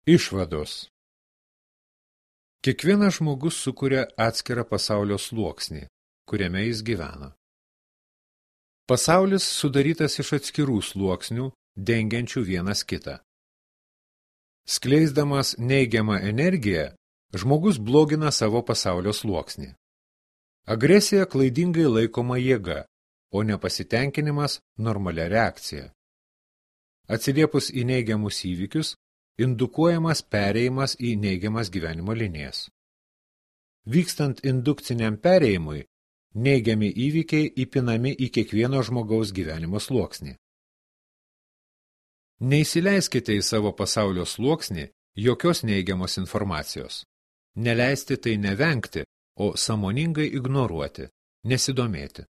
Išvados. Kiekvienas žmogus sukuria atskirą pasaulio sluoksnį, kuriame jis gyvena. Pasaulis sudarytas iš atskirų sluoksnių, dengiančių vienas kitą. Skleisdamas neigiamą energiją, žmogus blogina savo pasaulio sluoksnį. Agresija klaidingai laikoma jėga, o nepasitenkinimas normalia reakcija. Atsiliepus į neigiamus įvykius, indukuojamas perėjimas į neigiamas gyvenimo linijas. Vykstant indukciniam perėjimui, neigiami įvykiai įpinami į kiekvieno žmogaus gyvenimo sluoksnį. Neįsileiskite į savo pasaulio sluoksnį jokios neigiamos informacijos. Neleisti tai nevengti, o sąmoningai ignoruoti, nesidomėti.